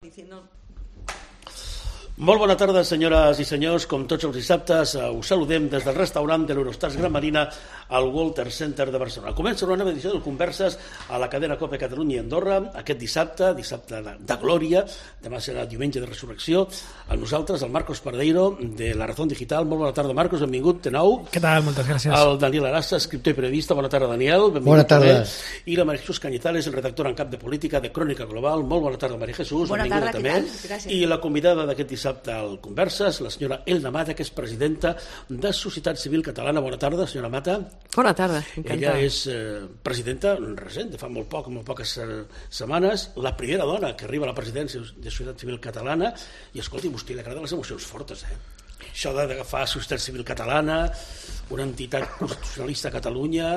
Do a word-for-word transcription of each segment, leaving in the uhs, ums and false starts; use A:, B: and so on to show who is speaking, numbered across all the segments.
A: Diciendo...
B: Molt bona tarda, senyores i senyors. Com tots els dissabtes, us saludem des del restaurant de l'Eurostars Gran Marina al Walter Center de Barcelona. Comença una nova edició de Converses a la cadena COPE Catalunya i Andorra, aquest dissabte, dissabte de, de glòria, demà serà diumenge de resurrecció. A nosaltres, el Marcos Pardeiro, de La Razón Digital. Molt bona tarda, Marcos, benvingut de nou.
C: Què tal? Moltes gràcies.
B: El Daniel Arassa, escriptor i periodista. Bona tarda, Daniel. Benvingut.
D: Bona tarda.
B: També. I la María Jesús Cañizales, el redactor en cap de política de Crònica Global. Molt bona tarda, María Jesús.
A: Bona
B: benvinguda
A: tarda,
B: també.
A: què tal? Gràcies.
B: I la convidada d'aquest dissabte al Converses, la senyora Elna Mata, que és presidenta de Societat Civil Catalana. Bona tarda, senyora Mata.
E: Bona tarda, encantada.
B: Ella és eh, presidenta recent, de fa molt poc, molt poques eh, setmanes, la primera dona que arriba a la presidència de Societat Civil Catalana. I escolti, a vostè li agraden les emocions fortes, eh? Això d'agafar Societat Civil Catalana, una entitat constitucionalista a Catalunya,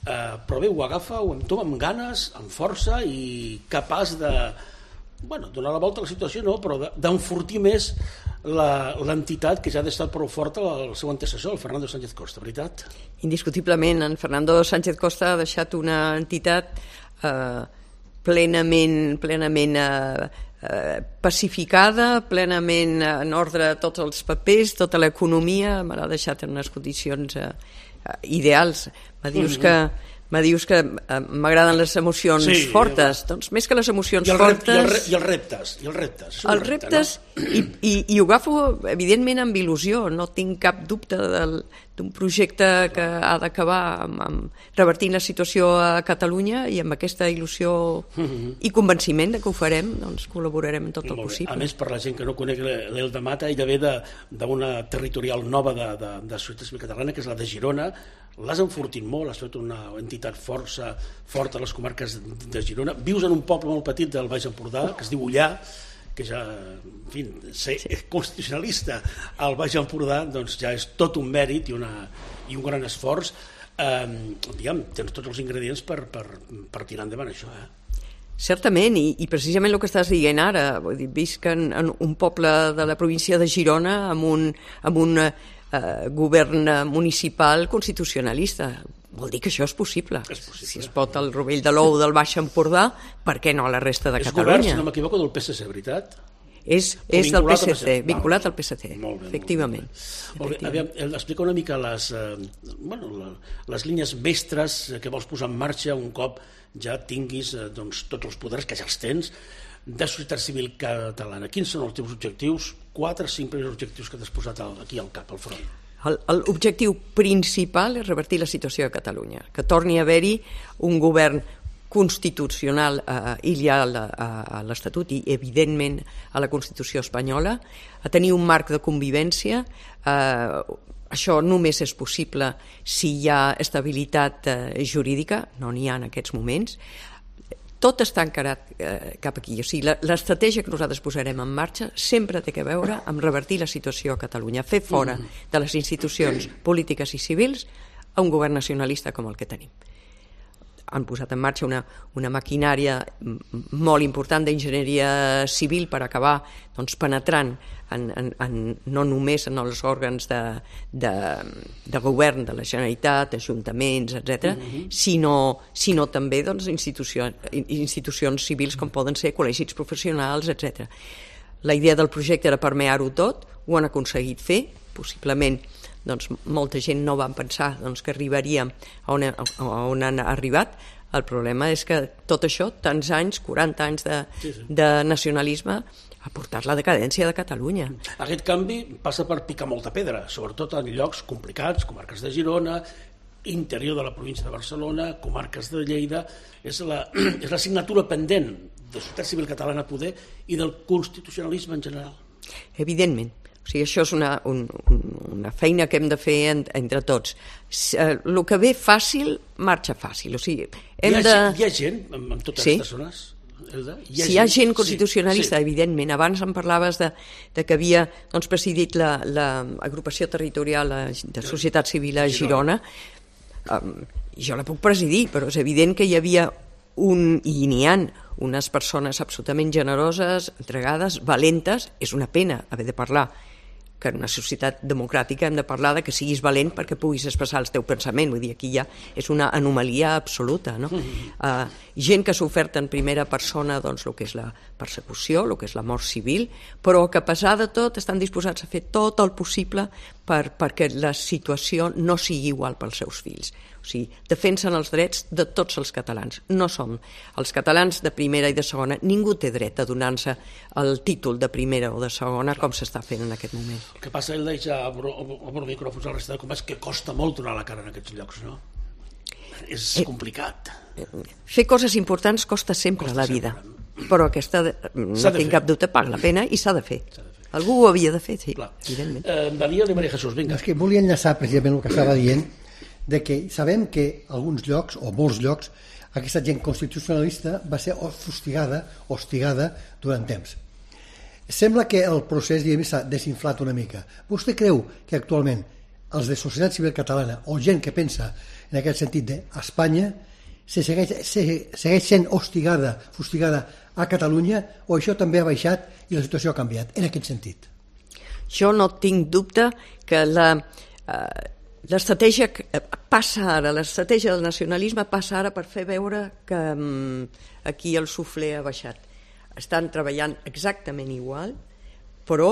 B: eh, però bé, ho agafa, ho entoma amb ganes, amb força i capaç de... bueno, donar la volta a la situació no, però d'enfortir més l'entitat que ja ha d'estar prou forta el seu antecessor, el Fernando Sánchez Costa, veritat?
E: Indiscutiblement, en Fernando Sánchez Costa ha deixat una entitat eh, plenament, plenament eh, eh, pacificada, plenament en ordre tots els papers, tota l'economia, me l'ha deixat en unes condicions eh, ideals. Me dius
B: mm-hmm.
E: que Me dius que eh, m'agraden les emocions
B: sí,
E: fortes, doncs més que les emocions
B: I el rep,
E: fortes...
B: I, el re, I els reptes, i els reptes.
E: Els reptes,
B: repte, no?
E: i, i, i ho agafo evidentment amb il·lusió, no tinc cap dubte d'un projecte que ha d'acabar amb, amb revertint la situació a Catalunya, i amb aquesta il·lusió mm-hmm. i convenciment de que ho farem, doncs col·laborarem en tot el possible.
B: A més, per la gent que no conec l'Elna Mata, ella ve d'una territorial nova de, de, de Societat Civil Catalana, que és la de Girona. L'has enfortit molt, has fet una entitat força forta a les comarques de Girona. Vius en un poble molt petit del Baix Empordà, que es diu Ullà, que ja, en fi, ser sí. constitucionalista al Baix Empordà doncs ja és tot un mèrit i, una, i un gran esforç. Eh, diguem, tens tots els ingredients per, per, per tirar endavant això, eh?
E: Certament, i, i precisament el que estàs dient ara, vull dir, visc en, en un poble de la província de Girona amb un, amb un eh, govern municipal constitucionalista. Vol dir que això és possible.
B: És possible.
E: Si es pot al Rovell de l'Ou del Baix Empordà, per què no a la resta de
B: és
E: Catalunya?
B: És govern, si no m'equivoco, del P S C, veritat?
E: És, és del P S C, vinculat al P S C,
B: molt bé,
E: efectivament.
B: Molt bé. Aviam, explica una mica les, eh, bueno, les línies mestres que vols posar en marxa un cop ja tinguis eh, doncs, tots els poders, que ja els tens, de Societat Civil Catalana. Quins són els teus objectius? Quatre, cinc primers objectius que t'has posat aquí al cap, al front.
E: L'objectiu principal és revertir la situació a Catalunya, que torni a haver-hi un govern constitucional eh, ideal a l'Estatut i, evidentment, a la Constitució espanyola, a tenir un marc de convivència. Eh, això només és possible si hi ha estabilitat eh, jurídica, no n'hi ha en aquests moments. Tot està encarat eh, cap aquí. O sigui, l'estratègia que nosaltres posarem en marxa sempre té a veure amb revertir la situació a Catalunya, fer fora de les institucions polítiques i civils a un govern nacionalista com el que tenim. Han posat en marxa una, una maquinària molt important d'enginyeria civil per acabar doncs, penetrant en, en, en, no només en els òrgans de, de, de govern de la Generalitat, ajuntaments, etcètera, mm-hmm. sinó, sinó també doncs, institucions, institucions civils com poden ser col·legis professionals, etcètera. La idea del projecte era permear-ho tot, ho han aconseguit fer, possiblement doncs, molta gent no va pensar doncs, que arribaríem a on, a on han arribat. El problema és que tot això, tants anys, quaranta anys de, sí, sí. de nacionalisme, ha portat la decadència de Catalunya.
B: Aquest canvi passa per picar molta pedra, sobretot en llocs complicats, comarques de Girona, interior de la província de Barcelona, comarques de Lleida. És la, és la signatura pendent de Societat Civil Catalana a poder i del constitucionalisme en general.
E: Evidentment. O sigui, això és una, un, una feina que hem de fer en, entre tots. El que ve fàcil, marxa fàcil. O sigui, hem
B: hi, ha,
E: de...
B: hi ha gent en, en totes
E: sí.
B: aquestes zones? Elda? Hi ha
E: si hi ha gent
B: sí,
E: constitucionalista,
B: sí.
E: evidentment. Abans em parlaves de, de que havia doncs, presidit l'agrupació la, territorial de Societat Civil a Girona. Um, jo la puc presidir, però és evident que hi havia un, i n'hi ha unes persones absolutament generoses, entregades, valentes. És una pena haver de parlar que en una societat democràtica hem de parlar de que siguis valent perquè puguis expressar el teu pensament. Vull dir, aquí ja és una anomalia absoluta, no? Uh, gent que s'ha ofert en primera persona doncs, el que és la persecució, el que és la mort civil, però que a pesar de tot estan disposats a fer tot el possible per, perquè la situació no sigui igual pels seus fills. O sigui, defensen els drets de tots els catalans. No som els catalans de primera i de segona. Ningú té dret a donar-se el títol de primera o de segona com s'està fent en aquest moment.
B: El que passa, ell deia amb el micròfons a la resta de combats, que costa molt donar la cara en aquests llocs, no? És eh, complicat.
E: Fer coses importants costa sempre costa a la vida, sempre. Però aquesta, no tinc cap dubte, paga la pena i s'ha de fer. Algú ho havia de fer, sí, Clar. evidentment.
B: Eh, Daniel i Maria Jesús, vinga.
A: És que volia enllaçar precisament el que estava dient, de que sabem que alguns llocs, o molts llocs, aquesta gent constitucionalista va ser fustigada, hostigada durant temps. Sembla que el procés s'ha desinflat una mica. Vostè creu que actualment els de societat civil catalana o gent que pensa en aquest sentit d'Espanya se segueix, se segueix sent hostigada, fustigada a Catalunya, o això també ha baixat i la situació ha canviat en aquest sentit?
E: Jo no tinc dubte que la... Eh, L'estratègia passa ara, l'estratègia del nacionalisme passa ara per fer veure que um, aquí el suflé ha baixat. Estan treballant exactament igual, però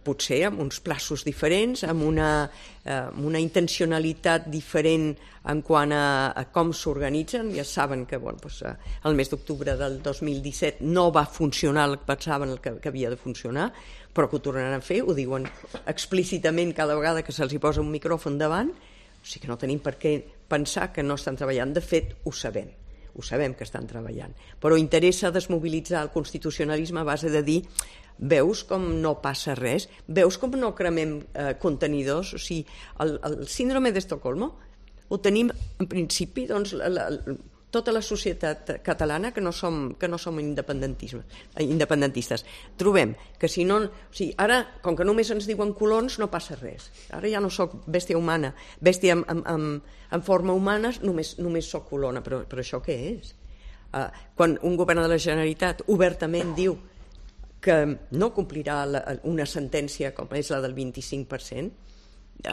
E: potser amb uns plaços diferents, amb una, uh, una intencionalitat diferent en quant a, a com s'organitzen. Ja saben que bueno, doncs, uh, el mes d'octubre del dos mil disset no va funcionar el que pensaven el que, que havia de funcionar, però que ho tornaran a fer, ho diuen explícitament cada vegada que se'ls hi posa un micròfon davant, o sigui que no tenim per què pensar que no estan treballant. De fet, ho sabem, ho sabem que estan treballant, però interessa desmobilitzar el constitucionalisme a base de dir veus com no passa res, veus com no cremem eh, contenidors, o sigui, el, el síndrome d'Estocolmo ho tenim en principi doncs, la, la, tota la societat catalana que no som, que no som independentistes. Trobem que si no... O sigui, ara, com que només ens diuen colons, no passa res. Ara ja no soc bèstia humana, bèstia en, en, en forma humana, només, només soc colona. Però, però això què és? Uh, quan un govern de la Generalitat obertament diu que no complirà la, una sentència com és la del vint-i-cinc per cent,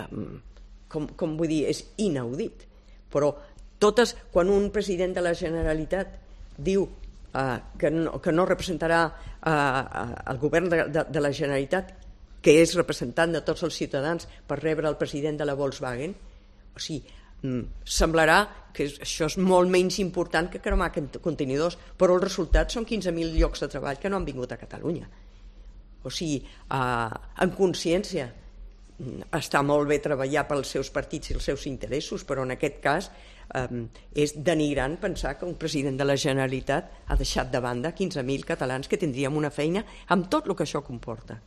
E: um, com, com vull dir, és inaudit. Però totes, quan un president de la Generalitat diu uh, que, no, que no representarà uh, el govern de, de, de la Generalitat, que és representant de tots els ciutadans per rebre el president de la Volkswagen, o sigui, mm, semblarà que això és molt menys important que cremar contenidors, però els resultats són quinze mil llocs de treball que no han vingut a Catalunya. O sigui, uh, en consciència, està molt bé treballar pels seus partits i els seus interessos, però en aquest cas eh, és denigrant pensar que un president de la Generalitat ha deixat de banda quinze mil catalans que tindríem una feina amb tot el que això comporta.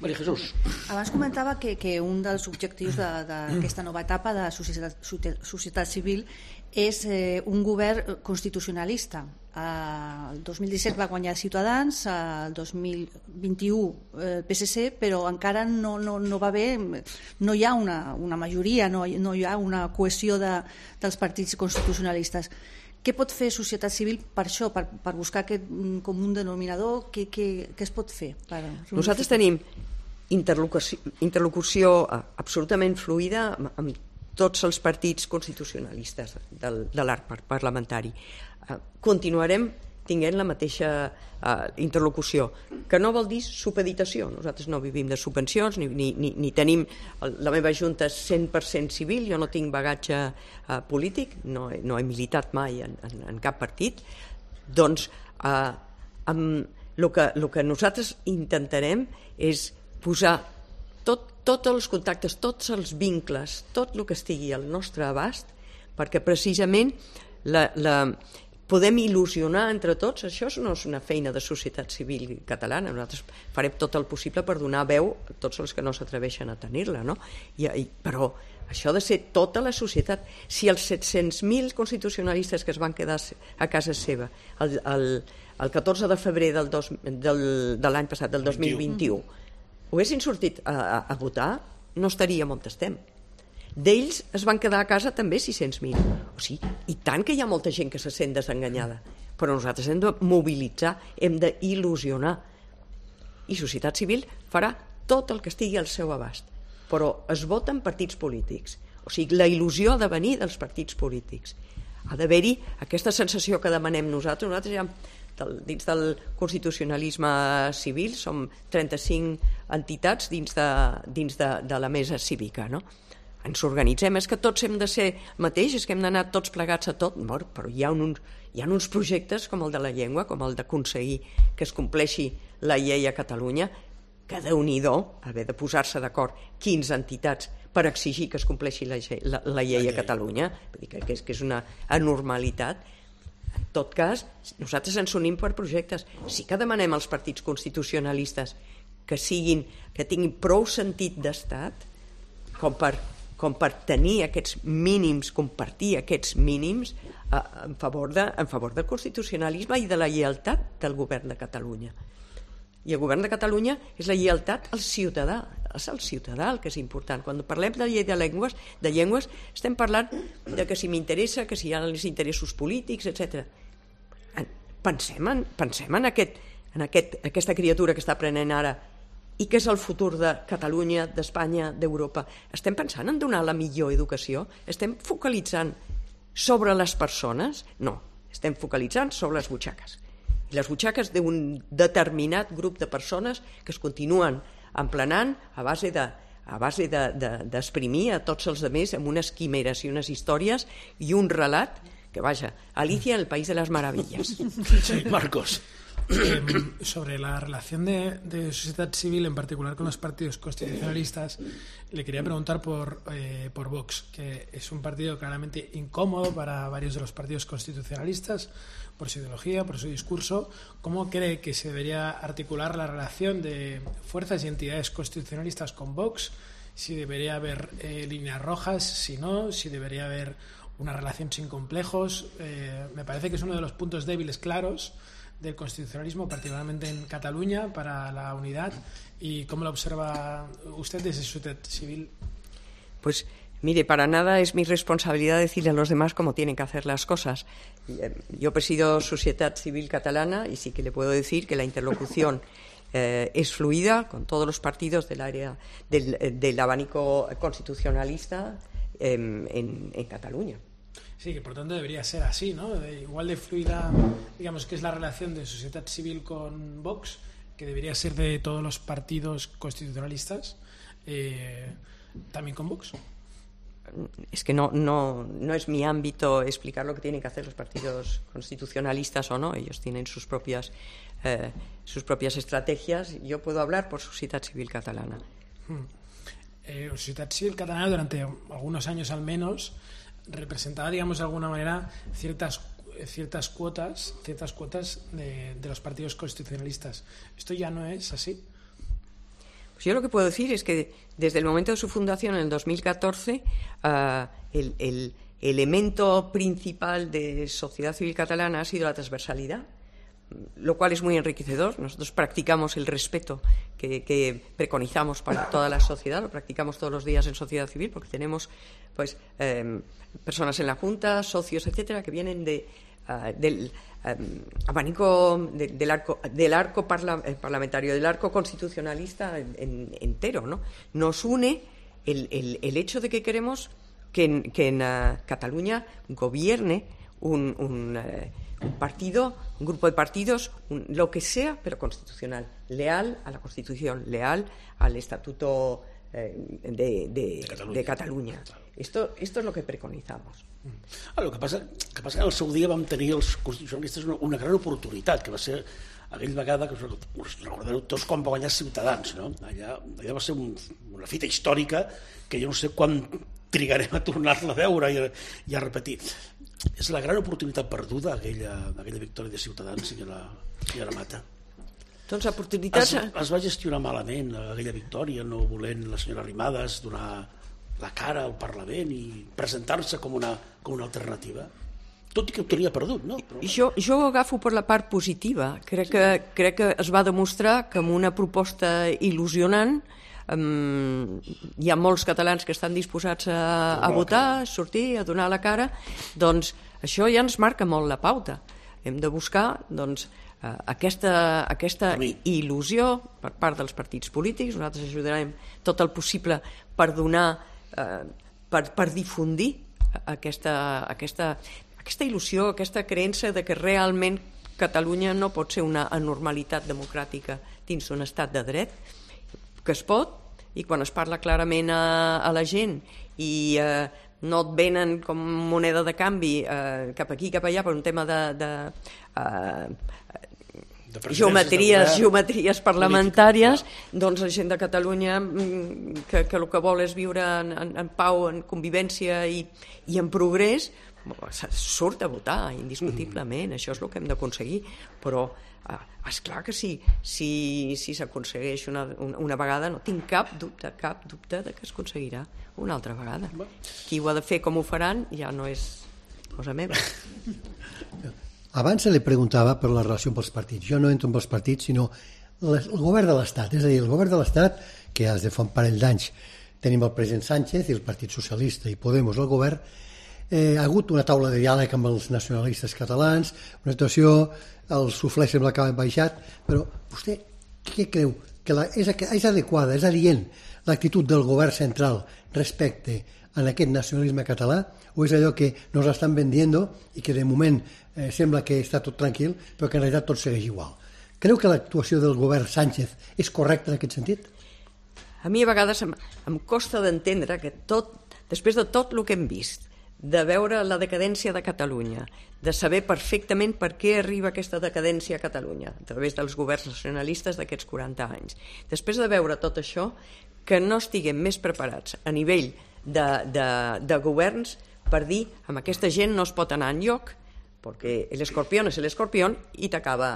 B: Maria Jesús.
C: Abans comentava que, que un dels objectius d'aquesta de, nova etapa de societat, societat civil és eh, un govern constitucionalista. Eh, el dos mil disset va guanyar Ciutadans, eh, el dos mil vint-i-u el P S C, però encara no, no, no va haver, no hi ha una, una majoria, no, no hi ha una cohesió de, dels partits constitucionalistes. Què pot fer societat civil per això, per, per buscar aquest comú denominador? Què, què, què es pot fer? Per...
E: Nosaltres tenim interlocució, interlocució absolutament fluida amb, amb tots els partits constitucionalistes del, de l'arc parlamentari. Uh, continuarem tinguent la mateixa uh, interlocució, que no vol dir supeditació. Nosaltres no vivim de subvencions, ni, ni, ni, ni tenim... La meva junta és cent per cent civil, jo no tinc bagatge uh, polític, no, no he militat mai en, en, en cap partit. Doncs uh, amb el que, el que nosaltres intentarem és posar tot, tots els contactes, tots els vincles, tot el que estigui al nostre abast, perquè precisament la... la podem il·lusionar entre tots. Això no és una feina de societat civil catalana, nosaltres farem tot el possible per donar veu a tots els que no s'atreveixen a tenir-la, no? I, i, però això ha de ser tota la societat. Si els set-cents mil constitucionalistes que es van quedar a casa seva el, el, el catorze de febrer del dos, del, de l'any passat, del dos mil vint-i-u, haguessin sortit a, a, a votar, no estaríem on estem. D'ells es van quedar a casa també sis-cents mil. O sigui, i tant que hi ha molta gent que se sent desenganyada. Però nosaltres hem de mobilitzar, hem d'il·lusionar. I societat civil farà tot el que estigui al seu abast, però es voten partits polítics. O sigui, la il·lusió ha de venir dels partits polítics. Ha d'haver-hi aquesta sensació que demanem nosaltres. Nosaltres ja, del, dins del constitucionalisme civil, som trenta-cinc entitats dins de, dins de, de la mesa cívica, no? Ens organitzem, és que tots hem de ser mateix, és que hem d'anar tots plegats a tot, però hi ha, uns, hi ha uns projectes com el de la llengua, com el d'aconseguir que es compleixi la llei a Catalunya, que Déu-n'hi-do haver de posar-se d'acord quinze entitats per exigir que es compleixi la, la, la llei a Catalunya, vull dir que, que, és, que és una anormalitat. En tot cas, nosaltres ens unim per projectes. Sí que demanem als partits constitucionalistes que siguin, que tinguin prou sentit d'estat com per com per tenir aquests mínims, compartir aquests mínims eh, en, favor de, en favor del constitucionalisme i de la lleialtat del govern de Catalunya. I el govern de Catalunya és la lleialtat al ciutadà, és el ciutadà el que és important. Quan parlem de llei de llengües, de llengües estem parlant de que si m'interessa, que si hi ha els interessos polítics, etcètera. Pensem en, pensem en, aquest, en aquest, aquesta criatura que està aprenent ara i què és el futur de Catalunya, d'Espanya, d'Europa. Estem pensant en donar la millor educació? Estem focalitzant sobre les persones? No, estem focalitzant sobre les butxaques. I les butxaques d'un determinat grup de persones que es continuen emplenant a base de a base d'esprimir de, de, a tots els altres amb unes quimeres i unes històries i un relat que, vaja, Alicia en el País de las Maravillas.
B: Sí, Marcos.
D: Eh, sobre la relación de, de sociedad civil, en particular con los partidos constitucionalistas, le quería preguntar por, eh, por Vox, que es un partido claramente incómodo para varios de los partidos constitucionalistas por su ideología, por su discurso. ¿Cómo cree que se debería articular la relación de fuerzas y entidades constitucionalistas con Vox? Si debería haber eh, líneas rojas, si no, si debería haber una relación sin complejos. Eh, me parece que es uno de los puntos débiles claros del constitucionalismo, particularmente en Cataluña, para la unidad. ¿Y cómo lo observa usted desde su sociedad civil?
E: Pues mire, para nada es mi responsabilidad decirle a los demás cómo tienen que hacer las cosas. Yo presido Sociedad Civil Catalana y sí que le puedo decir que la interlocución eh, es fluida con todos los partidos del área del, del abanico constitucionalista eh, en, en Cataluña.
D: Sí, que por tanto debería ser así, ¿no? De, igual de fluida, digamos, que es la relación de sociedad civil con Vox, que debería ser de todos los partidos constitucionalistas, eh, también con Vox.
E: Es que no, no, no es mi ámbito explicar lo que tienen que hacer los partidos constitucionalistas o no. Ellos tienen sus propias, eh, sus propias estrategias. Yo puedo hablar por Sociedad Civil Catalana.
D: Hmm. Eh, Sociedad Civil Catalana durante algunos años al menos representaba, digamos, de alguna manera ciertas ciertas cuotas ciertas cuotas de, de los partidos constitucionalistas. ¿Esto ya no es así?
E: Pues yo lo que puedo decir es que desde el momento de su fundación en el dos mil catorce uh, el, el elemento principal de Sociedad Civil Catalana ha sido la transversalidad, lo cual es muy enriquecedor. Nosotros practicamos el respeto que, que preconizamos para toda la sociedad, lo practicamos todos los días en sociedad civil porque tenemos pues eh, personas en la Junta, socios, etcétera, que vienen de, uh, del um, abanico de, del arco, del arco parla, eh, parlamentario, del arco constitucionalista en, en, entero, ¿no? Nos une el, el, el hecho de que queremos que en, que en uh, Cataluña gobierne un, un uh, un partido, un grupo de partidos, un, lo que sea, pero constitucional, leal a la Constitución, leal al Estatuto eh, de, de, de Catalunya. De Catalunya. Esto, esto es lo que preconizamos.
B: Ah, el que passa, que passa que al seu dia vam tenir els constitucionalistes una, una gran oportunitat, que va ser aquella vegada que us recordareu tots quan va guanyar Ciutadans, no? Allà, allà va ser un, una fita històrica que jo no sé quan trigarem a tornar-la a veure i a, i a repetir. És la gran oportunitat perduda aquella, aquella victòria de Ciutadans, senyora, senyora Mata.
E: Doncs oportunitats...
B: Es, es va gestionar malament aquella victòria, no volent la senyora Arrimadas donar la cara al Parlament i presentar-se com una, com una alternativa. Tot i que ho tenia perdut, no? Però...
E: Jo, jo ho agafo per la part positiva. Crec que, crec que es va demostrar que amb una proposta il·lusionant Um, hi ha molts catalans que estan disposats a, a votar, a sortir, a donar la cara, doncs això ja ens marca molt la pauta. Hem de buscar doncs, aquesta, aquesta il·lusió per part dels partits polítics. Nosaltres ajudarem tot el possible per donar, eh, per, per difundir aquesta, aquesta, aquesta il·lusió, aquesta creença de que realment Catalunya no pot ser una anormalitat democràtica dins d'un estat de dret, que es pot, i quan es parla clarament a, a la gent i eh, no et venen com moneda de canvi eh, cap aquí, cap allà per un tema de, de, eh, de geometries, de geometries parlamentàries, política, doncs la gent de Catalunya que, que el que vol és viure en, en, en pau, en convivència i, i en progrés, surt a votar indiscutiblement. Mm. Això és el que hem d'aconseguir, però eh, és clar que sí, si, si s'aconsegueix una, una, una vegada, no tinc cap dubte, cap dubte de que es aconseguirà una altra vegada. Qui ho ha de fer, com ho faran, ja no és cosa meva.
A: Abans se li preguntava per la relació amb els partits. Jo no entro amb els partits, sinó el govern de l'Estat. És a dir, el govern de l'Estat, que des de fa un parell d'anys tenim el president Sánchez i el Partit Socialista i Podemos al govern, eh, ha hagut una taula de diàleg amb els nacionalistes catalans, una situació, el suflé sembla que ha baixat, però vostè què creu? Que la, és, és adequada, és adient l'actitud del govern central respecte a aquest nacionalisme català, o és allò que nos estan vendiendo i que de moment eh, sembla que està tot tranquil, però que en realitat tot segueix igual? Creu que l'actuació del govern Sánchez és correcta en aquest sentit?
E: A mi a vegades em, em costa d'entendre que tot, després de tot el que hem vist, de veure la decadència de Catalunya, de saber perfectament per què arriba aquesta decadència a Catalunya a través dels governs nacionalistes d'aquests quaranta anys. Després de veure tot això, que no estiguem més preparats a nivell de, de, de governs per dir amb aquesta gent no es pot anar enlloc perquè l'escorpió és l'escorpió i t'acaba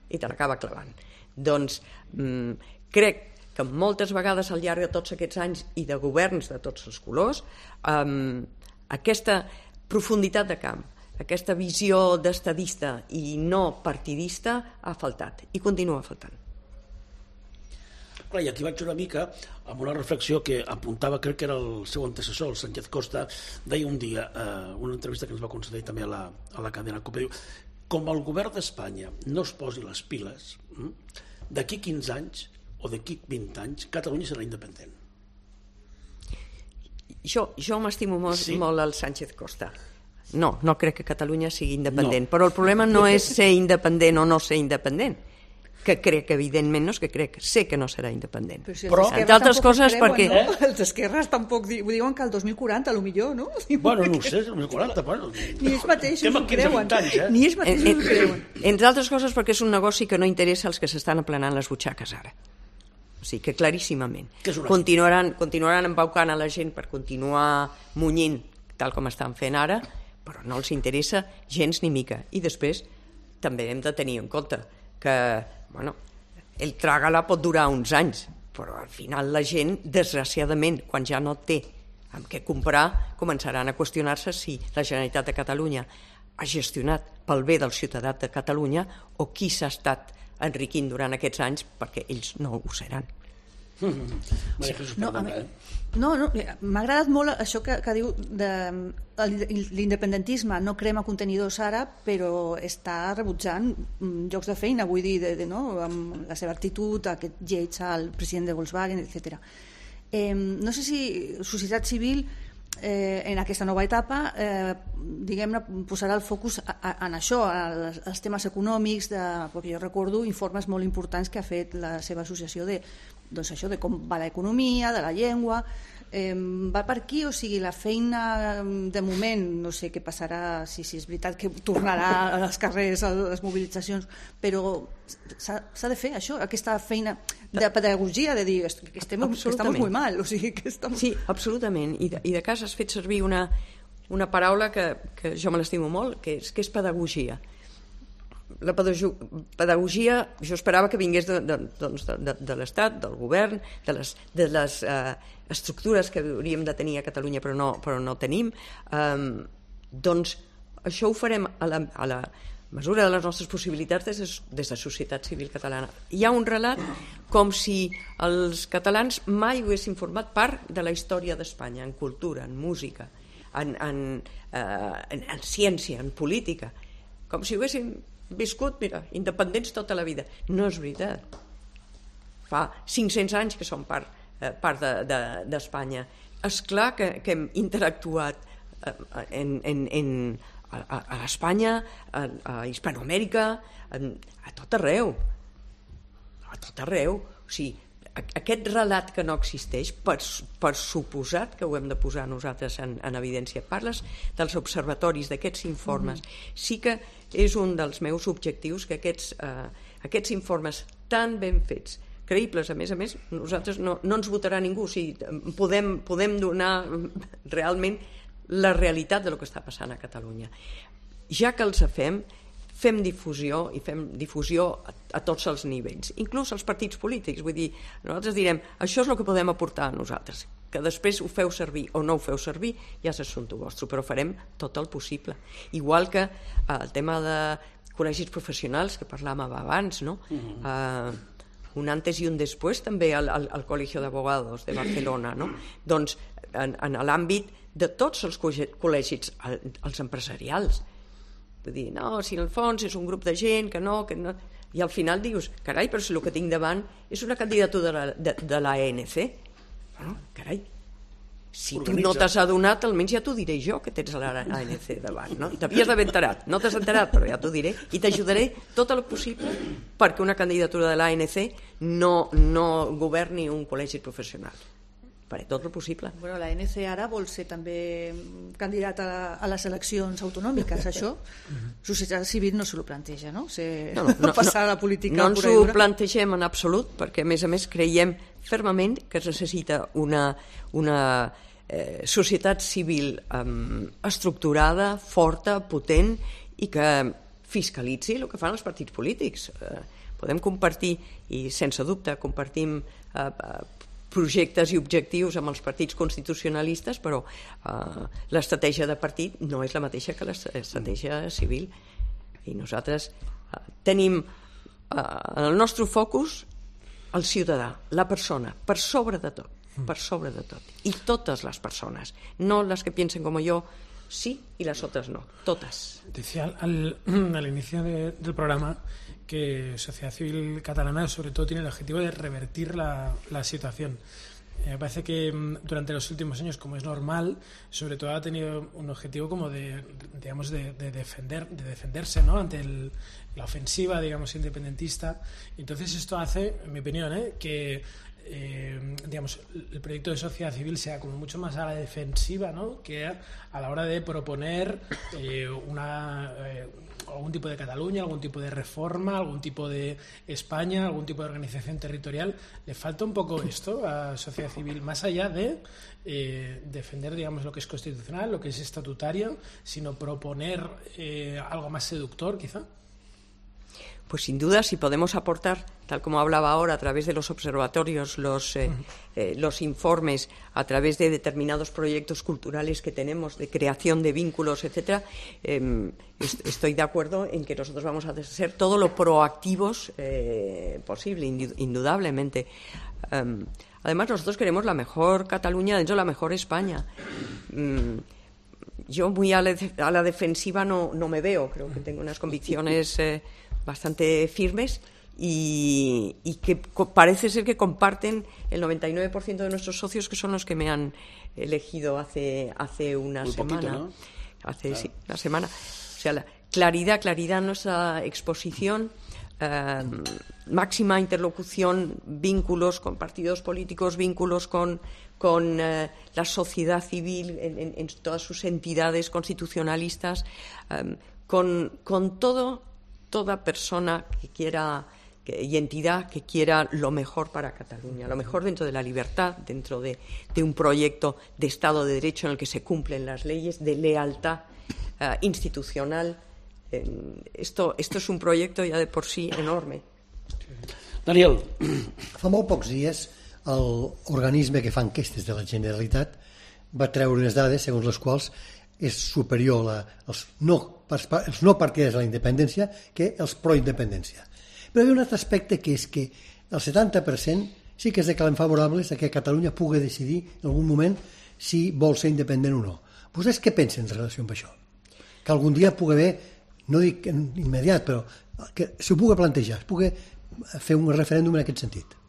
E: i te l'acaba clavant. Doncs mmm, crec que moltes vegades al llarg de tots aquests anys i de governs de tots els colors, eh, aquesta profunditat de camp, aquesta visió d'estadista i no partidista ha faltat i continua faltant.
B: Clar, i aquí vaig una mica amb una reflexió que apuntava, crec que era el seu antecessor, el Sánchez Costa, deia un dia, eh, una entrevista que ens va concedir també a la, a la cadena COPE, diu, com el govern d'Espanya no es posi les piles, d'aquí quinze anys o d'aquí vint anys, Catalunya serà independent.
E: Jo, jo m'estimo molt,
B: sí?
E: molt al Sánchez Costa. No, no crec que Catalunya sigui independent, no. Però el problema no és ser independent o no ser independent, que crec que evidentment no és que crec, sé que no serà independent.
C: Però si
E: però entre altres coses creuen, perquè...
C: No? Els esquerres tampoc di diuen que el dos mil quaranta, a lo millor, no?
B: Bueno, no ho sé, el dos mil quaranta, bueno...
C: Ni ells mateixos ho creuen, anys, eh? Ni ells mateixos
E: en,
C: ho creuen.
E: Entre altres coses perquè és un negoci que no interessa als que s'estan aplanant les butxaques ara. O sigui que claríssimament continuaran, continuaran embaucant a la gent per continuar munyint tal com estan fent ara, però no els interessa gens ni mica. I després també hem de tenir en compte que bueno, el trágala pot durar uns anys, però al final la gent, desgraciadament, quan ja no té amb què comprar, començaran a qüestionar-se si la Generalitat de Catalunya ha gestionat pel bé del ciutadà de Catalunya o qui s'ha estat enriquint durant aquests anys, perquè ells no ho seran.
C: No, no, no m'ha agradat molt això que, que diu de, l'independentisme no crema contenidors ara, però està rebutjant llocs de feina, vull dir, de, de, no? Amb la seva actitud, aquest lleig al president de Volkswagen, etcètera. Eh, no sé si societat civil eh, en aquesta nova etapa eh, diguem-ne posarà el focus a, a, en això, als, als temes econòmics, de, perquè jo recordo informes molt importants que ha fet la seva associació de, doncs això, de com va l'economia, de la llengua, eh, va per aquí, o sigui, la feina de moment, no sé què passarà, si, si és veritat que tornarà als carrers, a les mobilitzacions, però s'ha de fer això, aquesta feina de pedagogia, de dir que estem, estem molt mal, o sigui que estem...
E: Sí, absolutament, i de, i de cas has fet servir una, una paraula que, que jo me l'estimo molt, que és, que és pedagogia. La pedagogia jo esperava que vingués de, de, doncs de, de, de l'Estat, del govern, de les, de les eh, estructures que hauríem de tenir a Catalunya però no, però no tenim. Um, doncs això ho farem a la, a la mesura de les nostres possibilitats des de, des de societat civil catalana. Hi ha un relat com si els catalans mai haguessin format part de la història d'Espanya, en cultura, en música, en, en, eh, en, en ciència, en política, com si haguessin viscut, mira, independents tota la vida. No és veritat. Fa cinc-cents anys que som part, eh, part d'Espanya. De, de, és clar que, que hem interactuat eh, en, en, en, a, a l'Espanya, a, a Hispanoamèrica, a, a tot arreu. A tot arreu. O sigui, aquest relat que no existeix, per, per suposat que ho hem de posar nosaltres en, en evidència. Parles dels observatoris, d'aquests informes. Mm-hmm. Sí que és un dels meus objectius que aquests, eh, aquests informes tan ben fets, creïbles, a més a més, nosaltres no, no ens votarà ningú. O sigui, podem, podem donar realment la realitat del que està passant a Catalunya. Ja que els fem, fem difusió i fem difusió a, a tots els nivells, inclús als partits polítics. Vull dir, nosaltres direm, això és el que podem aportar a nosaltres, que després ho feu servir o no ho feu servir, ja és assumpte vostre, però farem tot el possible. Igual que eh, el tema de col·legis professionals, que parlàvem abans, no? Uh-huh. eh, un antes i un després també al, al, al Colegio de Abogados de Barcelona, no? Doncs en, en l'àmbit de tots els col·legis, els empresarials. Vull dir, no, si en el fons és un grup de gent que no, que no... I al final dius, carai, però si el que tinc davant és una candidatura de la, de, de l'A N C. Bueno, carai, si Organitza. Tu no t'has adonat, almenys ja t'ho diré jo, que tens l'A N C davant, no? T'havies d'haver enterat, no t'has enterat, però ja t'ho diré, i t'ajudaré tot el possible perquè una candidatura de l'A N C no, no governi un col·legi professional. Faré tot el possible.
C: Bueno, l'A N C ara vol ser també candidat a, a les eleccions autonòmiques, això? Societat civil no se lo planteja, no? Se, no, no, no passar a la política
E: no, no ens ho plantegem en absolut, perquè a més a més creiem fermament que es necessita una, una eh, societat civil eh, estructurada, forta, potent i que fiscalitzi el que fan els partits polítics. Eh, podem compartir, i sense dubte compartim eh, projectes i objectius amb els partits constitucionalistes, però eh, l'estratègia de partit no és la mateixa que l'estratègia civil. I nosaltres eh, tenim eh, en el nostre focus el ciutadà, la persona, per sobre de tot, per sobre de tot. I totes les persones, no les que piensen com jo, sí, y las otras no, todas.
D: Decía al, al inicio de, del programa que Sociedad Civil Catalana sobre todo tiene el objetivo de revertir la, la situación. Eh, me parece que durante los últimos años, como es normal, sobre todo ha tenido un objetivo como de, digamos, de, de defender, de defenderse, ¿no? Ante el, la ofensiva, digamos, independentista. Entonces esto hace, en mi opinión, ¿eh? que Eh, digamos, el proyecto de sociedad civil sea como mucho más a la defensiva, ¿no? Que a, a la hora de proponer eh, una, eh, algún tipo de Cataluña, algún tipo de reforma, algún tipo de España, algún tipo de organización territorial. Le falta un poco esto a sociedad civil, más allá de eh, defender, digamos, lo que es constitucional, lo que es estatutario, sino proponer eh, algo más seductor, quizá.
E: Pues sin duda, si podemos aportar, tal como hablaba ahora, a través de los observatorios, los, eh, eh, los informes, a través de determinados proyectos culturales que tenemos, de creación de vínculos, etcétera, eh, est estoy de acuerdo en que nosotros vamos a ser todo lo proactivos eh, posible, indudablemente. Um, además, nosotros queremos la mejor Cataluña dentro de la mejor España. Um, yo muy a la, a la defensiva no, no me veo, creo que tengo unas convicciones eh, bastante firmes y, y que parece ser que comparten el noventa y nueve por ciento de nuestros socios, que son los que me han elegido hace, hace una
B: Muy
E: semana.
B: poquito, ¿no?
E: Hace
B: Claro.
E: sí, una semana. O sea, la claridad, claridad en nuestra exposición, eh, máxima interlocución, vínculos con partidos políticos, vínculos con, con eh, la sociedad civil en, en, en todas sus entidades constitucionalistas, eh, con, con todo toda persona que quiera que, y entidad que quiera lo mejor para Cataluña, lo mejor dentro de la libertad, dentro de, de un proyecto de Estado de Derecho en el que se cumplen las leyes, de lealtad uh, institucional. Eh, esto, esto es un proyecto ya de por sí enorme.
B: Daniel.
A: Fa molt pocs dies l'organisme que fa enquestes de la Generalitat va treure unes dades segons les quals és superior a els, no, els no partidaris de la independència que els pro-independència. Però hi ha un altre aspecte, que és que el setanta per cent sí que es declaren favorables a que Catalunya pugui decidir en algun moment si vol ser independent o no. Vostès què pensen en relació amb això? Que algun dia pugui haver no dic immediat, però que s'ho pugui plantejar, es pugui fer un referèndum en aquest sentit.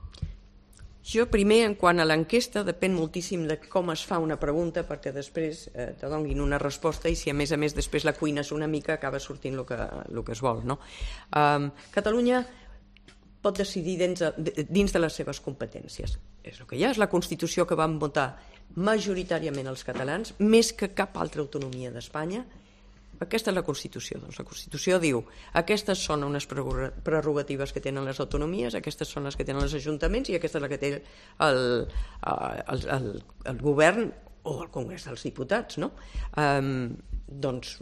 E: Jo primer, en quant a l'enquesta, depèn moltíssim de com es fa una pregunta perquè després eh, te donin una resposta i si a més a més després la cuines una mica acaba sortint el que, el que es vol. No? Um, Catalunya pot decidir dins de, dins de les seves competències. És el que hi ha, és la Constitució que van votar majoritàriament els catalans, més que cap altra autonomia d'Espanya. Aquesta és la Constitució. Doncs la Constitució diu aquestes són unes prerrogatives que tenen les autonomies, aquestes són les que tenen els ajuntaments i aquesta és la que té el, el, el, el govern o el Congrés dels Diputats. No? Um, doncs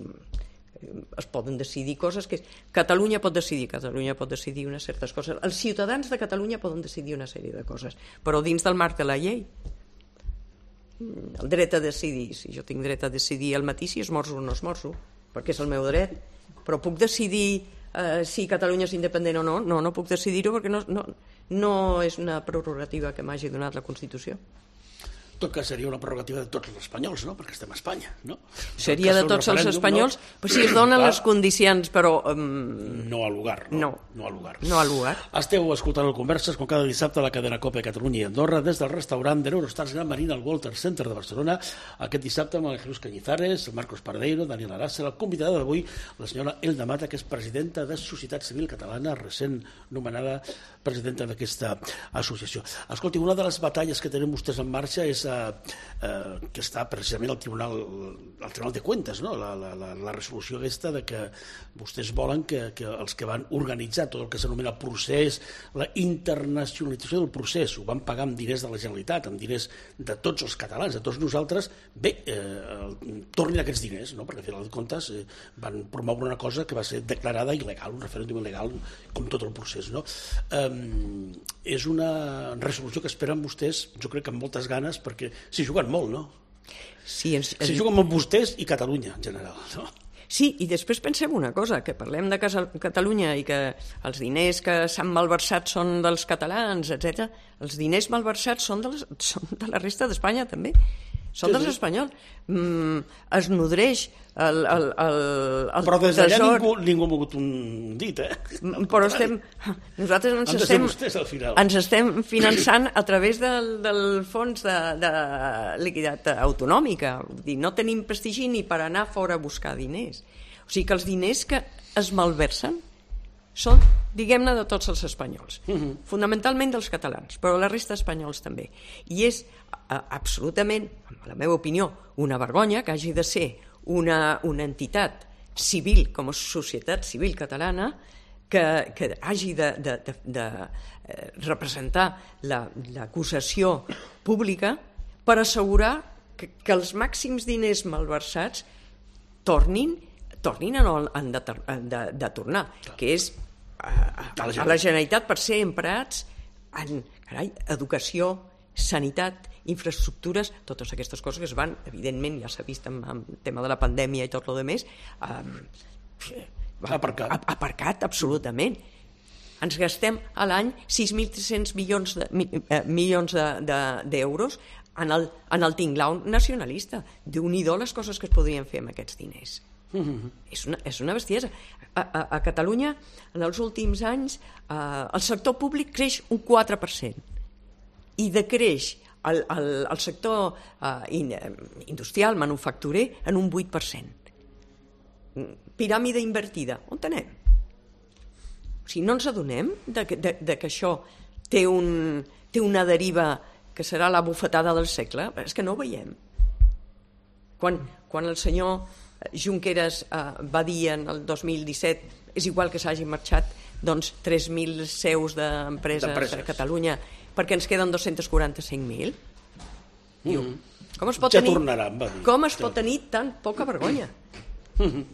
E: es poden decidir coses que... Catalunya pot decidir, Catalunya pot decidir unes certes coses. Els ciutadans de Catalunya poden decidir una sèrie de coses, però dins del marc de la llei. El dret a decidir, si jo tinc dret a decidir al matí si esmorzo o no esmorzo, perquè és el meu dret, però puc decidir eh, si Catalunya és independent o no? No, no puc decidir-ho perquè no, no, no és una prerrogativa que m'hagi donat la Constitució.
B: Tot que seria una prerrogativa de tots els espanyols, no? Perquè estem a Espanya, no?
E: Seria de tots els espanyols, no? Però si es donen Clar, les condicions, però... Um...
B: No al lugar, no?
E: No,
B: no al lugar.
E: No al lugar.
B: Esteu escoltant el Converses com cada dissabte a la cadena COPE Catalunya i Andorra des del restaurant de l'Eurostars Gran Marina al Walter Center de Barcelona. Aquest dissabte amb el Jesús Cañizares, el Marcos Pardeiro, Daniel Arassa, la convidada d'avui, la senyora Elda Mata, que és presidenta de Societat Civil Catalana, recent nomenada presidenta d'aquesta associació. Escolti, una de les batalles que tenen vostès en marxa és eh, eh, que està precisament al Tribunal, al Tribunal de Cuentas, no? la, la, la, la resolució aquesta de que vostès volen que, que els que van organitzar tot el que s'anomena procés, la internacionalització del procés, ho van pagar amb diners de la Generalitat, amb diners de tots els catalans, de tots nosaltres, bé, eh, tornin aquests diners, no? Perquè al final de comptes eh, van promoure una cosa que va ser declarada il·legal, un referèndum il·legal, com tot el procés, no? Eh, és una resolució que esperen vostès, jo crec que amb moltes ganes, perquè s'hi juguen molt, no?
E: Sí, ens...
B: S'hi juguen molt vostès i Catalunya, en general, no?
E: Sí, i després pensem una cosa, que parlem de Catalunya i que els diners que s'han malversat són dels catalans, etcètera. Els diners malversats són de, les, són de la resta d'Espanya, també. Són sí, dels sí. espanyols. Mm, es nodreix el, el, el, el
B: però des d'allà
E: tresor...
B: ningú, ningú ha mogut un dit, eh?
E: Però estem... Nosaltres ens estem,
B: vostès, al final.
E: ens estem finançant a través del, del fons de, de liquiditat autonòmica. Vull dir, no tenim prestigi ni per anar fora a buscar diners. O sigui que els diners que es malversen són, diguem-ne, de tots els espanyols, uh-huh. fonamentalment dels catalans, però la resta d'espanyols també. I és a, absolutament, en la meva opinió, una vergonya que hagi de ser una, una entitat civil, com a societat civil catalana, que, que hagi de, de, de, de representar l'acusació pública per assegurar que, que els màxims diners malversats tornin tornin a, de, de, de tornar, que és a, a, a la Generalitat per ser emprats en carai, educació, sanitat, infraestructures, totes aquestes coses que es van, evidentment, ja s'ha vist amb el tema de la pandèmia i tot el demés, eh,
B: aparcat.
E: aparcat absolutament. Ens gastem a l'any sis mil tres-cents milions de, eh, milions d'euros de, de, en, el, en el tinglau nacionalista. Déu-n'hi-do les coses que es podrien fer amb aquests diners. Mm-hmm. És, una, és una bestiesa. A, a, a Catalunya, en els últims anys, eh, el sector públic creix un quatre per cent i decreix el, el, el sector eh, in, industrial, manufacturer, en un vuit per cent. Piràmide invertida. On anem? O sigui, no ens adonem de, de, de que això té, un, té una deriva que serà la bufetada del segle? És que no ho veiem. Quan, quan el senyor Junqueras eh, va dir en el dos mil disset és igual que s'hagin marxat doncs, tres mil seus d'empreses a Catalunya perquè ens queden dos-cents quaranta-cinc mil. Mm. Com es pot,
B: ja
E: tenir,
B: tornaran, va dir.
E: com es pot tenir tan poca vergonya? Mm-hmm.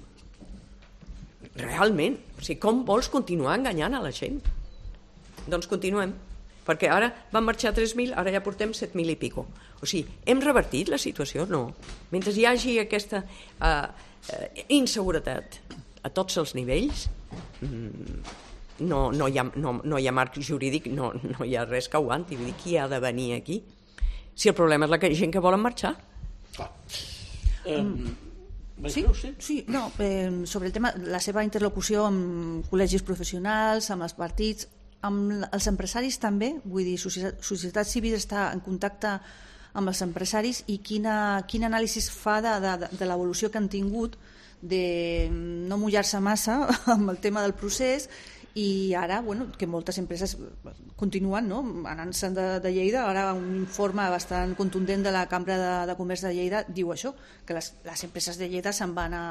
E: Realment. O sigui, com vols continuar enganyant a la gent? Doncs continuem. Perquè ara van marxar tres mil, ara ja portem set mil i pico. O sigui, hem revertit la situació? No. Mentre hi hagi aquesta uh, uh, inseguretat a tots els nivells, mm, no, no, hi ha, no, no hi ha marc jurídic, no, no hi ha res que aguanti. Vull dir, qui ha de venir aquí? Si el problema és la gent que volen marxar.
B: Ah. Um,
C: Sí, sí, no, eh, sobre el tema, la seva interlocució amb col·legis professionals, amb els partits, amb els empresaris també, vull dir, societat, societat civil està en contacte amb els empresaris i quina, quin anàlisi fa de, de, de l'evolució que han tingut de no mullar-se massa amb el tema del procés i ara, bueno, que moltes empreses continuen, no?, anant-se'n de, de Lleida. Ara un informe bastant contundent de la Cambra de, de Comerç de Lleida diu això, que les, les empreses de Lleida se'n van a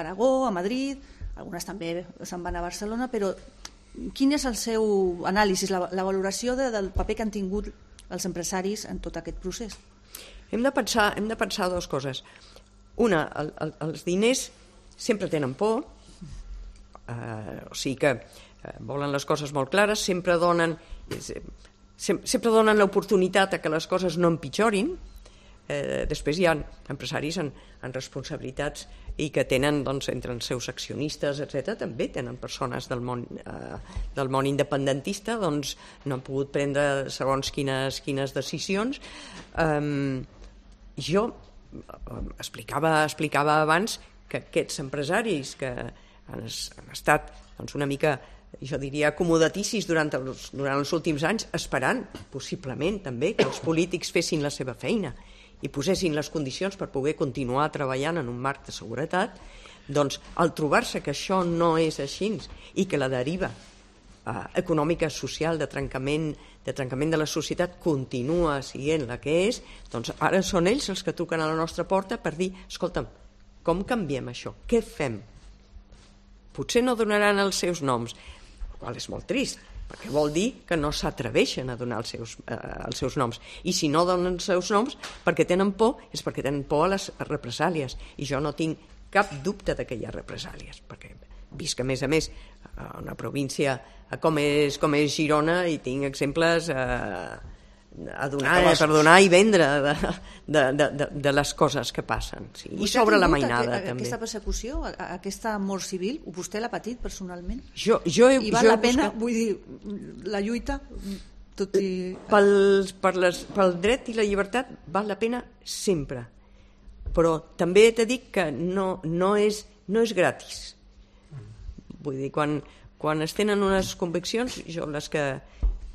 C: Aragó, a Madrid, algunes també se'n van a Barcelona, però quin és el seu anàlisi, la, la valoració de, del paper que han tingut els empresaris en tot aquest procés?
E: Hem de pensar, hem de pensar dues coses. Una, el, el, els diners sempre tenen por, eh, o sigui que eh, volen les coses molt clares, sempre donen, eh, sempre donen l'oportunitat a que les coses no empitjorin. Eh, després hi ha empresaris en, en responsabilitats i que tenen, doncs, entre els seus accionistes, etcètera, també tenen persones del món, eh, del món independentista, doncs no han pogut prendre segons quines, quines decisions. Eh, jo explicava, explicava abans que aquests empresaris que han, han estat, doncs, una mica, jo diria, acomodaticis durant els, durant els últims anys, esperant, possiblement, també, que els polítics fessin la seva feina i posessin les condicions per poder continuar treballant en un marc de seguretat, doncs, al trobar-se que això no és així i que la deriva eh, econòmica, social, de trencament, de trencament de la societat continua sent la que és, doncs ara són ells els que truquen a la nostra porta per dir, escolta'm, com canviem això? Què fem? Potser no donaran els seus noms, el qual és molt trist, perquè vol dir que no s'atreveixen a donar els seus, eh, els seus noms. I si no donen els seus noms, perquè tenen por, és perquè tenen por a les represàlies. I jo no tinc cap dubte de que hi ha represàlies, perquè visc, a més a més, a una província com és, com és Girona i tinc exemples eh, a donar, per donar i vendre de, de, de, de, de les coses que passen. Sí. I sobre la mainada,
C: a, a,
E: també.
C: Aquesta persecució, a, a aquesta mort civil, vostè l'ha patit personalment?
E: Jo, jo he,
C: I val
E: jo
C: la pena,
E: buscat...
C: vull dir, la lluita, tot i...
E: Pel, per les, pel dret i la llibertat val la pena sempre. Però també t'he dit que no, no, és, no és gratis. Vull dir, quan, quan es tenen unes conviccions, jo les que...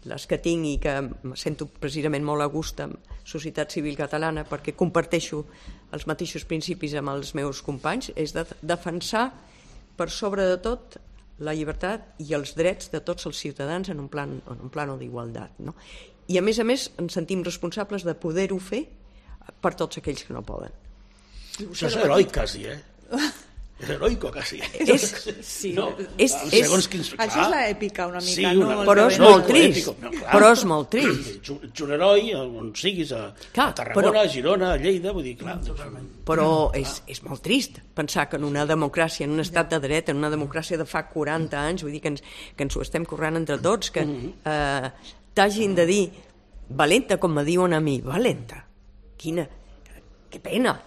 E: les que tinc i que em sento precisament molt a gust amb Societat Civil Catalana perquè comparteixo els mateixos principis amb els meus companys, és de defensar per sobre de tot la llibertat i els drets de tots els ciutadans en un plan, en un plano d'igualtat, no? I a més a més ens sentim responsables de poder-ho fer per tots aquells que no poden.
B: Això és heroic quasi, eh? És heroico, quasi.
E: És,
C: sí,
E: no, és, és,
B: quins,
C: això és l'èpica, una mica.
B: Sí,
C: una,
B: no?
E: Però és
B: no,
E: molt trist. No, però és molt trist.
B: Ets un heroi, on siguis, a, clar, a Tarragona, però, a Girona, a Lleida, vull dir, clar.
E: Però és, és molt trist pensar que en una democràcia, en un estat de dret, en una democràcia de fa quaranta anys, vull dir que ens, que ens ho estem currant entre tots, que eh, t'hagin de dir valenta, com me diuen a mi, valenta. Quina... Que pena.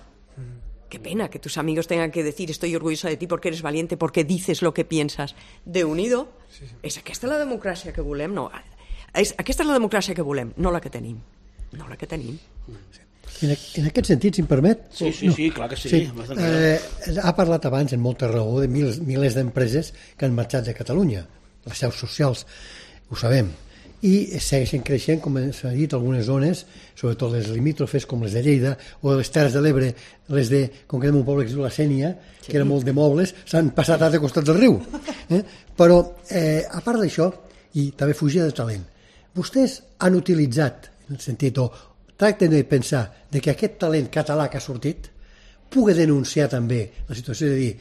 E: Qué pena que tus amigos tengan que decir estoy orgullosa de ti porque eres valiente, porque dices lo que piensas. De unido, sí, sí. És aquesta la democràcia que volem? No, és, aquesta és la democràcia que volem, no la que tenim. No la que tenim.
A: En, en aquest sentit, si em permet...
B: Sí, sí, no. sí, clar que sí.
A: sí. Eh, ha parlat abans, en molta raó, de mil, milers d'empreses que han marxat de Catalunya, les seus socials, ho sabem, i segueixen creixent, com s'ha dit, algunes zones, sobretot les limítrofes, com les de Lleida, o les Terres de l'Ebre, les de, concretament un poble que es diu la Sénia, sí. que era molt de mobles, s'han passat a l'altre costat del riu. Eh? Però, eh, a part d'això, i també fugida de talent, vostès han utilitzat, en el sentit, o tracten de pensar de que aquest talent català que ha sortit pugui denunciar també la situació de dir,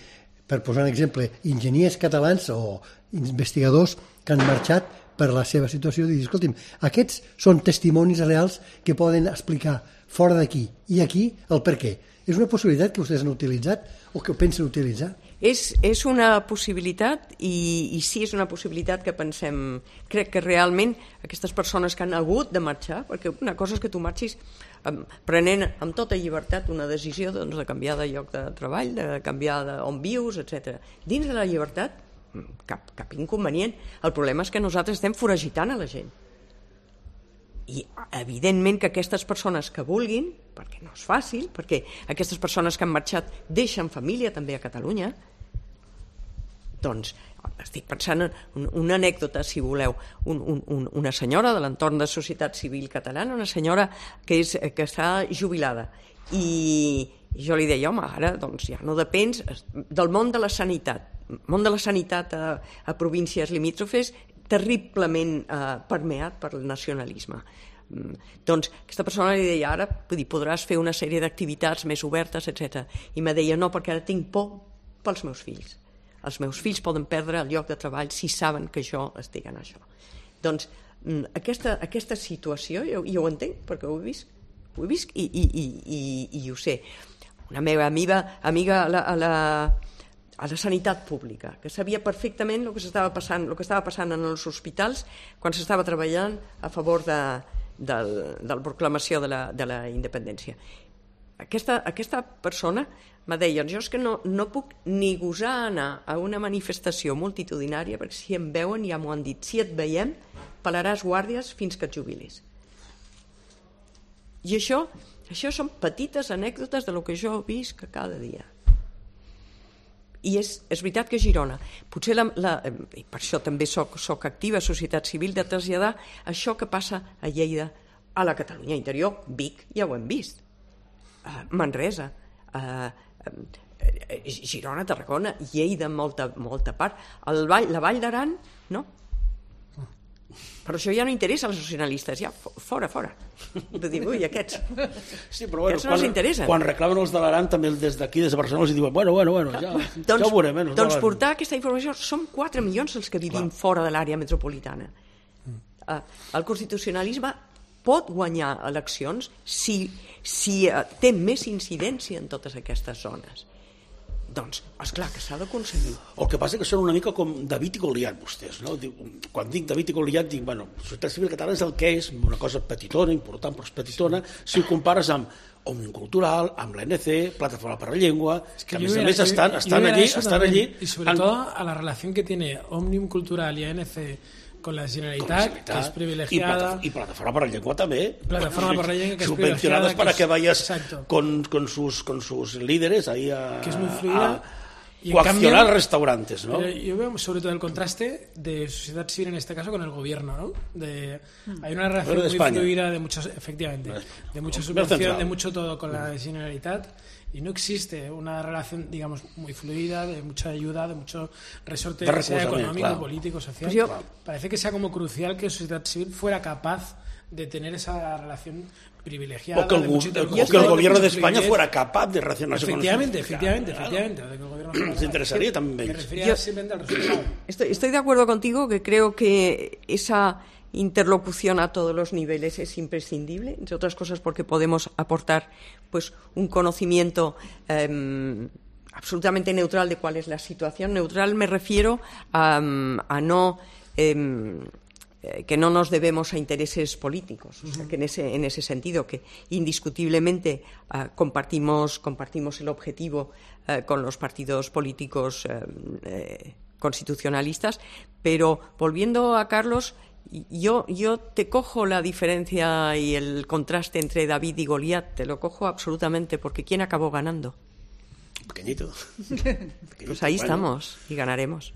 A: per posar un exemple, enginyers catalans o investigadors que han marxat per la seva situació, i dir, escolti'm, aquests són testimonis reals que poden explicar fora d'aquí i aquí el per què. És una possibilitat que vostès han utilitzat o que ho pensen utilitzar?
E: És, és una possibilitat i, i sí, és una possibilitat que pensem, crec que realment aquestes persones que han hagut de marxar, perquè una cosa és que tu marxis um, prenent amb tota llibertat una decisió, doncs, de canviar de lloc de treball, de canviar d'on vius, etcètera. Dins de la llibertat, cap, cap inconvenient. El problema és que nosaltres estem foragitant a la gent. I evidentment que aquestes persones que vulguin, perquè no és fàcil, perquè aquestes persones que han marxat deixen família també a Catalunya, doncs estic pensant en una anècdota, si voleu, un, un, una senyora de l'entorn de societat civil catalana, una senyora que, és, que està jubilada, i jo li deia, home, ara doncs ja no depens del món de la sanitat. El món de la sanitat a, a províncies limítrofes terriblement eh, permeat per el nacionalisme. Mm, doncs aquesta persona li deia, ara dir, podràs fer una sèrie d'activitats més obertes, etcètera. I me deia, no, perquè ara tinc por pels meus fills. Els meus fills poden perdre el lloc de treball si saben que jo estic en això. Doncs mm, aquesta, aquesta situació, jo, jo ho entenc, perquè ho he vist, ho he vist i, i, i, i, i ho sé. Una meva amiga, amiga a la... A la a la sanitat pública, que sabia perfectament el que s'estava passant, el que estava passant en els hospitals quan s'estava treballant a favor de, de, de la proclamació de la, de la independència. Aquesta, aquesta persona me deia, jo és que no, no puc ni gosar anar a una manifestació multitudinària perquè si em veuen ja m'ho han dit, si et veiem pelaràs guàrdies fins que et jubilis. I això, això són petites anècdotes de lo que jo visc cada dia. I és, és veritat que a Girona, potser la, la, i per això també soc, soc activa a societat civil, de traslladar això que passa a Lleida a la Catalunya interior. Vic, ja ho hem vist, uh, Manresa, uh, uh, Girona, Tarragona, Lleida en molta, molta part, el Vall, la Vall d'Aran, no? Però això ja no interessa als nacionalistes, ja fora, fora. De dir, ui, aquests.
B: Sí, però bueno,
E: aquests no els interessen.
B: Quan reclamen els de l'Aran, també des d'aquí, des de Barcelona, els diuen, bueno, bueno, bueno, ja,
E: doncs,
B: ja ho veurem. Eh,
E: doncs portar aquesta informació, som quatre milions els que vivim Clar. Fora de l'àrea metropolitana. Mm. Uh, el constitucionalisme pot guanyar eleccions si, si uh, té més incidència en totes aquestes zones. Doncs, esclar, que s'ha d'aconseguir.
B: El que passa és que són una mica com David i Goliat, vostès, no? Quan dic David i Goliat, dic, bueno, la societat civil catalana és el que és, una cosa petitona, important, però és petitona, si ho compares amb Òmnium Cultural, amb l'A N C, Plataforma per la Llengua, que, que a més a més estan, estan allí, estan allí...
D: Y sobre han... todo a la relación que tiene Òmnium Cultural y A N C con la Generalitat, que es privilegiada.
B: Y, y Plataforma para la Lengua también.
D: Plataforma para la Lengua, que es
B: subvencionadas para que, es, que vayas con, con, sus, con sus líderes ahí a,
D: que es muy fluida,
B: a y coaccionar cambio, restaurantes, ¿no?
D: Yo veo sobre todo el contraste de sociedad civil en este caso con el gobierno, ¿no? De, hay una relación muy
B: España.
D: fluida de muchos, efectivamente, de mucha subvención, de mucho todo con la Generalitat. Y no existe una relación, digamos, muy fluida, de mucha ayuda, de mucho resorte
B: de
D: sea económico,
B: claro.
D: político, social.
E: Yo...
D: Parece que sea como crucial que la sociedad civil fuera capaz de tener esa relación privilegiada.
B: O que el,
D: de mucho,
B: el, o que el gobierno de España fuera capaz de relacionarse
D: efectivamente,
B: con
D: efectivamente,
B: claro.
D: efectivamente, efectivamente.
B: Nos interesaría también.
D: Me refería simplemente al resultado.
E: Estoy, estoy de acuerdo contigo que creo que esa interlocución a todos los niveles es imprescindible, entre otras cosas porque podemos aportar pues un conocimiento eh, absolutamente neutral de cuál es la situación. Neutral me refiero a, a no eh, que no nos debemos a intereses políticos, o sea, que en ese, en ese sentido que indiscutiblemente uh, compartimos, compartimos el objetivo uh, con los partidos políticos uh, eh, constitucionalistas, pero volviendo a Carlos, yo, yo te cojo la diferencia y el contraste entre David y Goliat, te lo cojo absolutamente, porque ¿quién acabó ganando?
B: Pequeñito.
E: Pequeñito. Pues ahí bueno. estamos y ganaremos.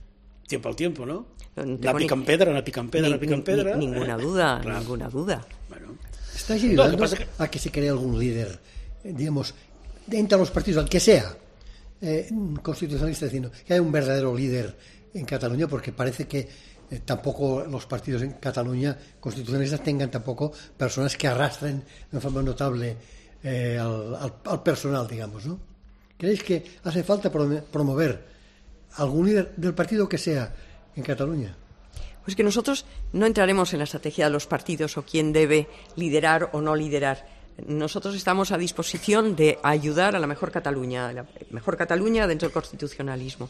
B: Tiempo al tiempo, ¿no?
E: No
B: la pican pedra, la pican pedra,
E: ni,
B: la pican pedra.
E: Ni, ninguna duda, claro. ninguna duda.
A: Bueno. ¿Está ayudando no, que que... a que se cree algún líder, eh, digamos, entre los partidos, al que sea, eh, constitucionalista, diciendo que hay un verdadero líder en Cataluña? Porque parece que eh, tampoco los partidos en Cataluña constitucionalistas tengan tampoco personas que arrastren de forma notable eh, al, al, al personal, digamos, ¿no? ¿Creéis que hace falta promover algún líder del partido que sea en Cataluña?
E: Pues que nosotros no entraremos en la estrategia de los partidos o quién debe liderar o no liderar. Nosotros estamos a disposición de ayudar a la mejor Cataluña, la mejor Cataluña dentro del constitucionalismo.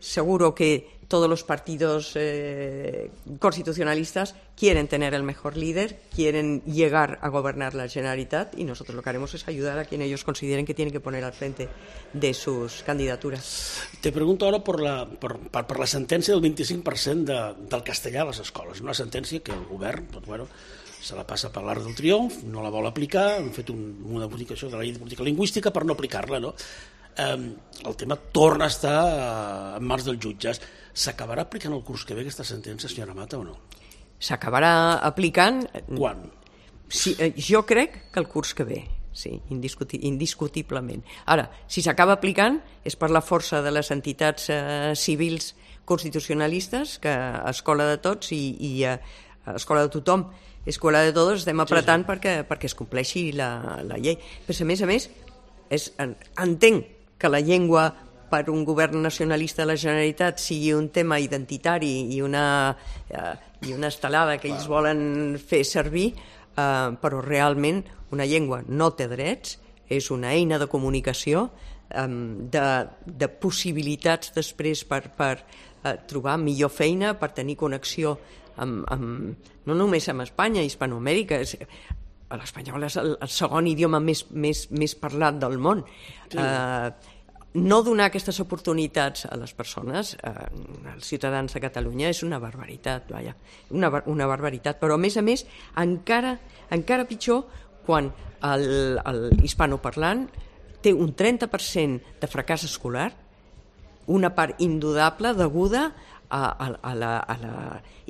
E: seguro que todos los partidos eh, constitucionalistas quieren tener el mejor líder, quieren llegar a gobernar la Generalitat, y nosotros lo que haremos es ayudar a quien ellos consideren que tienen que poner al frente de sus candidaturas.
B: Te pregunto ahora por la, por, per, per la sentència del vint-i-cinc per cent de, del castellà a les escoles. Una sentència que el govern, doncs, bueno, se la passa per l'art del triomf, no la vol aplicar, han fet un, una modificació de la llei de política lingüística per no aplicar-la, no? Eh, el tema torna a estar eh, en mans dels jutges. S'acabarà aplicant el curs que ve aquesta sentència, senyora Mata, o no?
E: S'acabarà aplicant...
B: Quan?
E: Sí, eh, jo crec que el curs que ve, sí, indiscuti indiscutiblement. Ara, si s'acaba aplicant és per la força de les entitats eh, civils constitucionalistes, que a Escola de Tots i, i a, a Escola de Tothom, Escola de Todos, estem apretant sí, sí. Perquè, perquè es compleixi la, la llei. Però a més a més, és, entenc que la llengua per un govern nacionalista de la Generalitat sigui un tema identitari i una, eh, i una estelada que ells volen fer servir, eh, però realment una llengua no té drets, és una eina de comunicació, eh, de, de possibilitats després per, per eh, trobar millor feina, per tenir connexió amb, amb, no només amb Espanya, Hispanoamèrica, és, l'espanyol és el, el segon idioma més, més, més parlat del món. Sí. Eh, no donar aquestes oportunitats a les persones, eh, als ciutadans de Catalunya, és una barbaritat, vaja, una, una barbaritat, però a més a més encara, encara pitjor quan el, el hispanoparlant té un trenta per cent de fracàs escolar, una part indudable deguda a, a, a, la, a la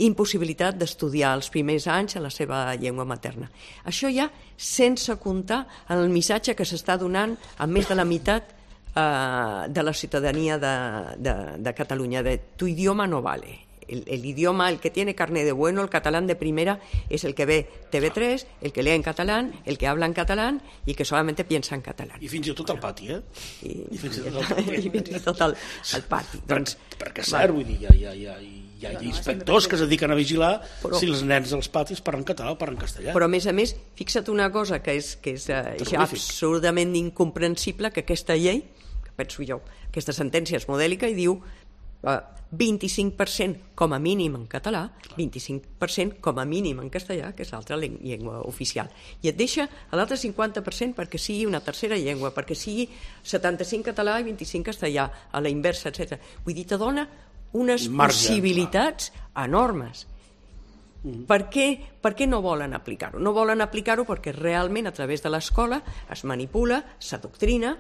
E: impossibilitat d'estudiar els primers anys a la seva llengua materna. Això ja sense comptar en el missatge que s'està donant a més de la meitat Uh, de la ciudadanía de, de, de Cataluña, de tu idioma no vale. El, el idioma, el que tiene carne de bueno, el catalán de primera, es el que ve T V tres, el que lee en catalán, el que habla en catalán y que solamente piensa en catalán.
B: I fins i tot al pati, eh?
E: I, I fins i tot al pati. I fins i tot al, al pati.
B: Per,
E: doncs,
B: perquè és cert, vull dir, hi ha, hi ha, hi ha, hi ha inspectors que es dediquen a vigilar però, si els nens dels patis parlen català o parlen castellà.
E: Però a més a més, fixa't una cosa que és, que és uh, ja absurdament incomprensible, que aquesta llei, penso jo, aquesta sentència és modèlica i diu eh, vint-i-cinc per cent com a mínim en català, vint-i-cinc per cent com a mínim en castellà, que és l'altra llengua oficial. I et deixa a l'altre cinquanta per cent perquè sigui una tercera llengua, perquè sigui setanta-cinc català i vint-i-cinc castellà, a la inversa, etcètera. Vull dir, te dona unes Marge, possibilitats clar. enormes. Mm. Per què, per què no volen aplicar-ho? No volen aplicar-ho perquè realment a través de l'escola es manipula, s'adoctrina,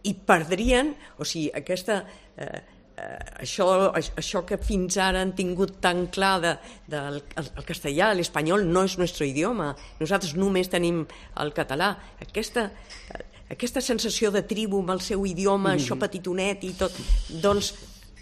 E: i perdrien, o sigui, aquesta, eh, eh, això, això que fins ara han tingut tan clar de, de, el, el castellà, l'espanyol no és nostre idioma, nosaltres només tenim el català, aquesta, aquesta sensació de tribu amb el seu idioma, mm. això petitonet i tot, doncs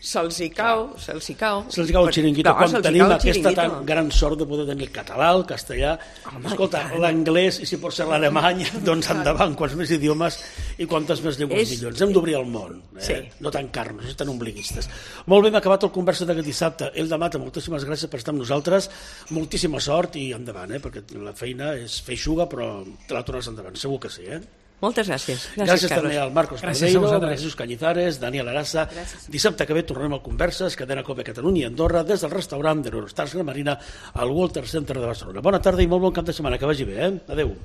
E: se'ls hi cau, se'ls hi cau.
B: Se'ls hi cau el xiringuito, quan tenim aquesta tan gran sort de poder tenir el català, el castellà, home, escolta, l'anglès i si pot ser l'alemany, doncs endavant, quants més idiomes i quantes més llengües és... millors. Hem d'obrir el món, eh? Sí. No tancar-nos, no ser tan ombliguistes. Molt bé, hem acabat el conversa d'aquest dissabte. Elda Mata, moltíssimes gràcies per estar amb nosaltres, moltíssima sort i endavant, eh? Perquè la feina és feixuga, però te la tornes endavant, segur que sí, eh?
E: Moltes gràcies.
B: Gràcies, gràcies també al Marcos Madeiro, a Jesús Cañizares, Daniel Arassa. Gràcies. Dissabte que ve tornem al Converses, cadena Cope Catalunya i Andorra, des del restaurant de l'Eurostars Gran Marina al Walter Center de Barcelona. Bona tarda i molt bon cap de setmana, que vagi bé, eh? Adéu.